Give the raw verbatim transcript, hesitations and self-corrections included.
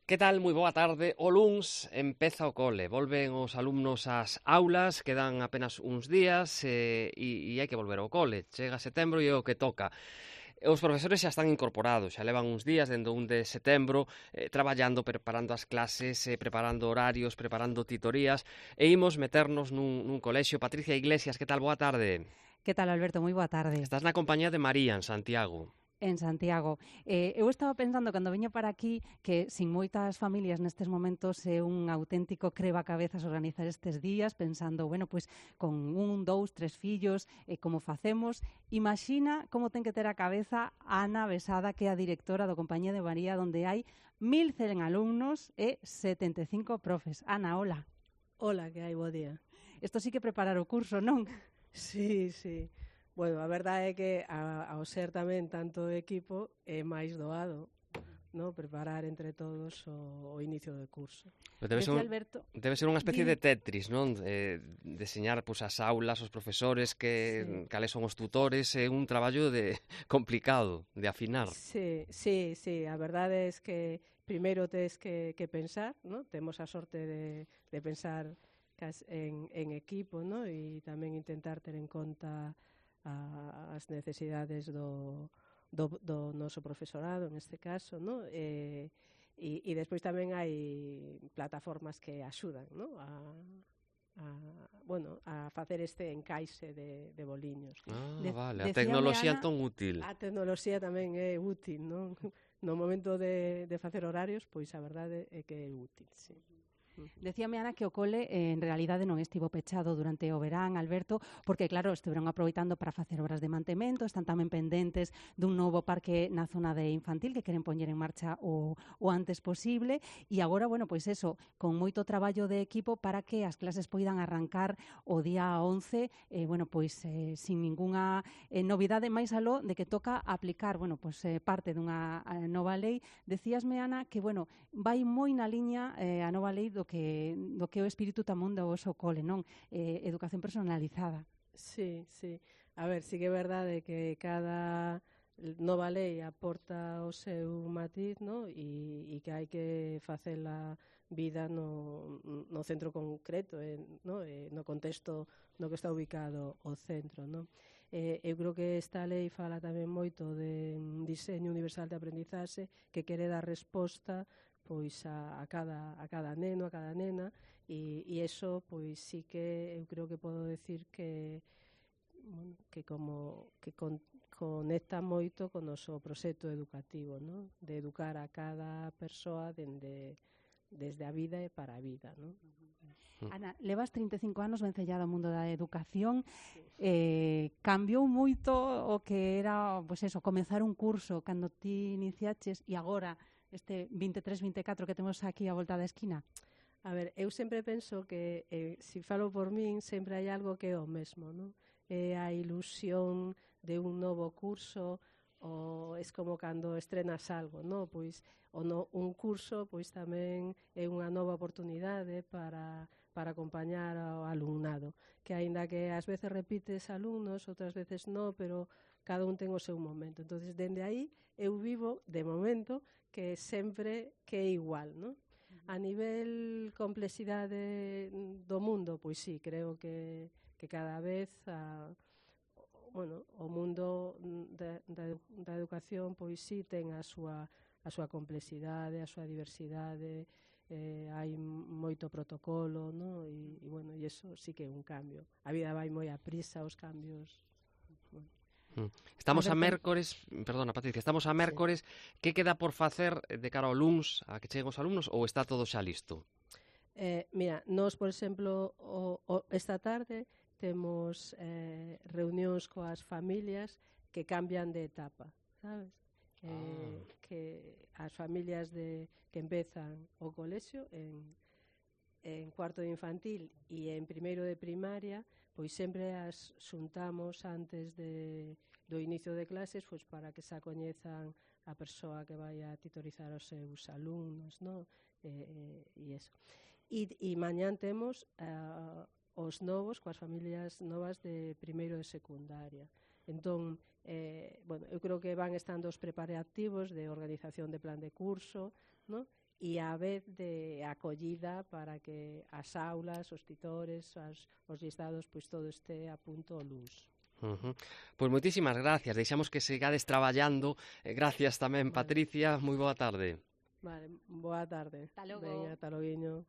Que tal? Moi boa tarde. O luns empeza o cole, volven os alumnos ás aulas, quedan apenas uns días e, e, e hai que volver ao cole. Chega setembro e é o que toca. Os profesores xa están incorporados, xa levan uns días, dende o un de setembro, eh, traballando, preparando as clases, eh, preparando horarios, preparando titorías, e imos meternos nun, nun colexio. Patricia Iglesias, que tal? Boa tarde. Que tal, Alberto? Moi boa tarde. Estás na compañía de María, en Santiago. En Santiago. Eh, eu estaba pensando, cando viño para aquí, que sin moitas familias nestes momentos é un auténtico creba-cabezas organizar estes días, pensando, bueno, pois con un, dous, tres fillos, eh, como facemos. Imagina como ten que ter a cabeza Ana Besada, que é a directora do Compañía de María, donde hai mil cen alumnos e setenta e cinco profes. Ana, hola. Hola, que hai, bo día. Isto sí que preparar o curso, non? Sí, sí. Bueno, a verdade é que a, ao ser tamén tanto equipo é máis doado, no? Preparar entre todos o, o inicio do curso. Pero debe ser, Decía un, Alberto, debe ser unha especie di- de Tetris, non? Eh, deseñar pois, as aulas, os profesores, que Sí. cales son os tutores, é un traballo de complicado, de afinar. Sí, sí, sí, a verdade é que primeiro tes que, que pensar, no? Temos a sorte de, de pensar cas, en, en equipo, no? E tamén intentar ter en conta a, as necesidades do, do, do noso profesorado, neste caso, no? E, e, e despois tamén hai plataformas que axudan, no? A, a, bueno, a facer este encaixe de, de boliños. Ah, de, vale, a decíame tecnoloxía Ana, entón útil. A tecnoloxía tamén é útil, non? No momento de, de facer horarios, pois a verdade é que é útil, sí. Decíame, Ana, que o cole eh, en realidade non estivo pechado durante o verán, Alberto, porque, claro, estiveron aproveitando para facer obras de mantemento, están tamén pendentes dun novo parque na zona de infantil que queren poñer en marcha o, o antes posible, e agora, bueno, pois eso, con moito traballo de equipo para que as clases poidan arrancar o día once, eh, bueno, pois eh, sin ningunha eh, novidade máis aló de que toca aplicar, bueno, pois eh, parte dunha eh, nova lei. Decíasme, Ana, que, bueno, vai moi na liña eh, a nova lei do que do que é o espírito tamén do voso cole, non? Eh, educación personalizada. Sí, sí. A ver, sí que é verdade que cada nova lei aporta o seu matiz, no? E, e que hai que facela vida no, no centro concreto, eh, no? Eh, no contexto no que está ubicado o centro, no? Eh, eu creo que esta lei fala tamén moito de diseño universal de aprendizaxe que quere dar resposta pois a, a, cada, a cada neno, a cada nena, e, e eso pois sí que eu creo que podo decir que bueno, que como que con, conecta moito con o noso proxecto educativo, ¿no? De educar a cada persoa dende desde a vida e para a vida, ¿no? Ana, levas trinta e cinco anos vencellada ao mundo da educación, eh, cambiou moito o que era, pois eso, comezar un curso cando ti iniciaches e agora este vinte e tres vinte e catro que temos aquí a volta da esquina? A ver, eu sempre penso que, eh, se falo por min, sempre hai algo que é o mesmo, non? É a ilusión de un novo curso, ou é como cando estrenas algo, non? Pois o no, un curso pois tamén é unha nova oportunidade para, para acompañar ao alumnado, que aínda que ás veces repites alumnos, outras veces non, pero cada un ten o seu momento. Entonces, dende aí, eu vivo, de momento, que sempre que é igual, non? A nivel complexidade do mundo, pois sí, creo que, que cada vez a, bueno, o mundo da, da, da educación pois sí ten a súa, a súa complexidade, a súa diversidade, eh, hai moito protocolo, no? E, e bueno, e eso sí que é un cambio. A vida vai moi a prisa, os cambios. Bueno. Estamos a Alberto. mércores, perdona Patricia, estamos a mércores, sí. Que queda por facer de cara ao luns a que cheguen os alumnos ou está todo xa listo? Eh, mira, nós, por exemplo, o, o, esta tarde temos eh, reunións coas familias que cambian de etapa, sabes? Eh, Ah. Que as familias de, que empezan o colexio en, en cuarto de infantil e en primeiro de primaria, pois sempre as xuntamos antes de, do inicio de clases, pois para que se coñezan a persoa que vai a titorizar os seus alumnos, no? E, e, e eso. E, e mañán temos uh, os novos, coas familias novas de primeiro de secundaria. Entón, eh, bueno, eu creo que van estando os preparativos de organización de plan de curso, no? e a vez de acollida para que as aulas, os titores, as, os listados, pois todo este a punto o luns. Uh-huh. Pois moitísimas gracias, deixamos que sigades traballando. Eh, gracias tamén, Vale. Patricia, moi boa tarde. Vale, boa tarde. Hasta logo. Veña, ata loguiño.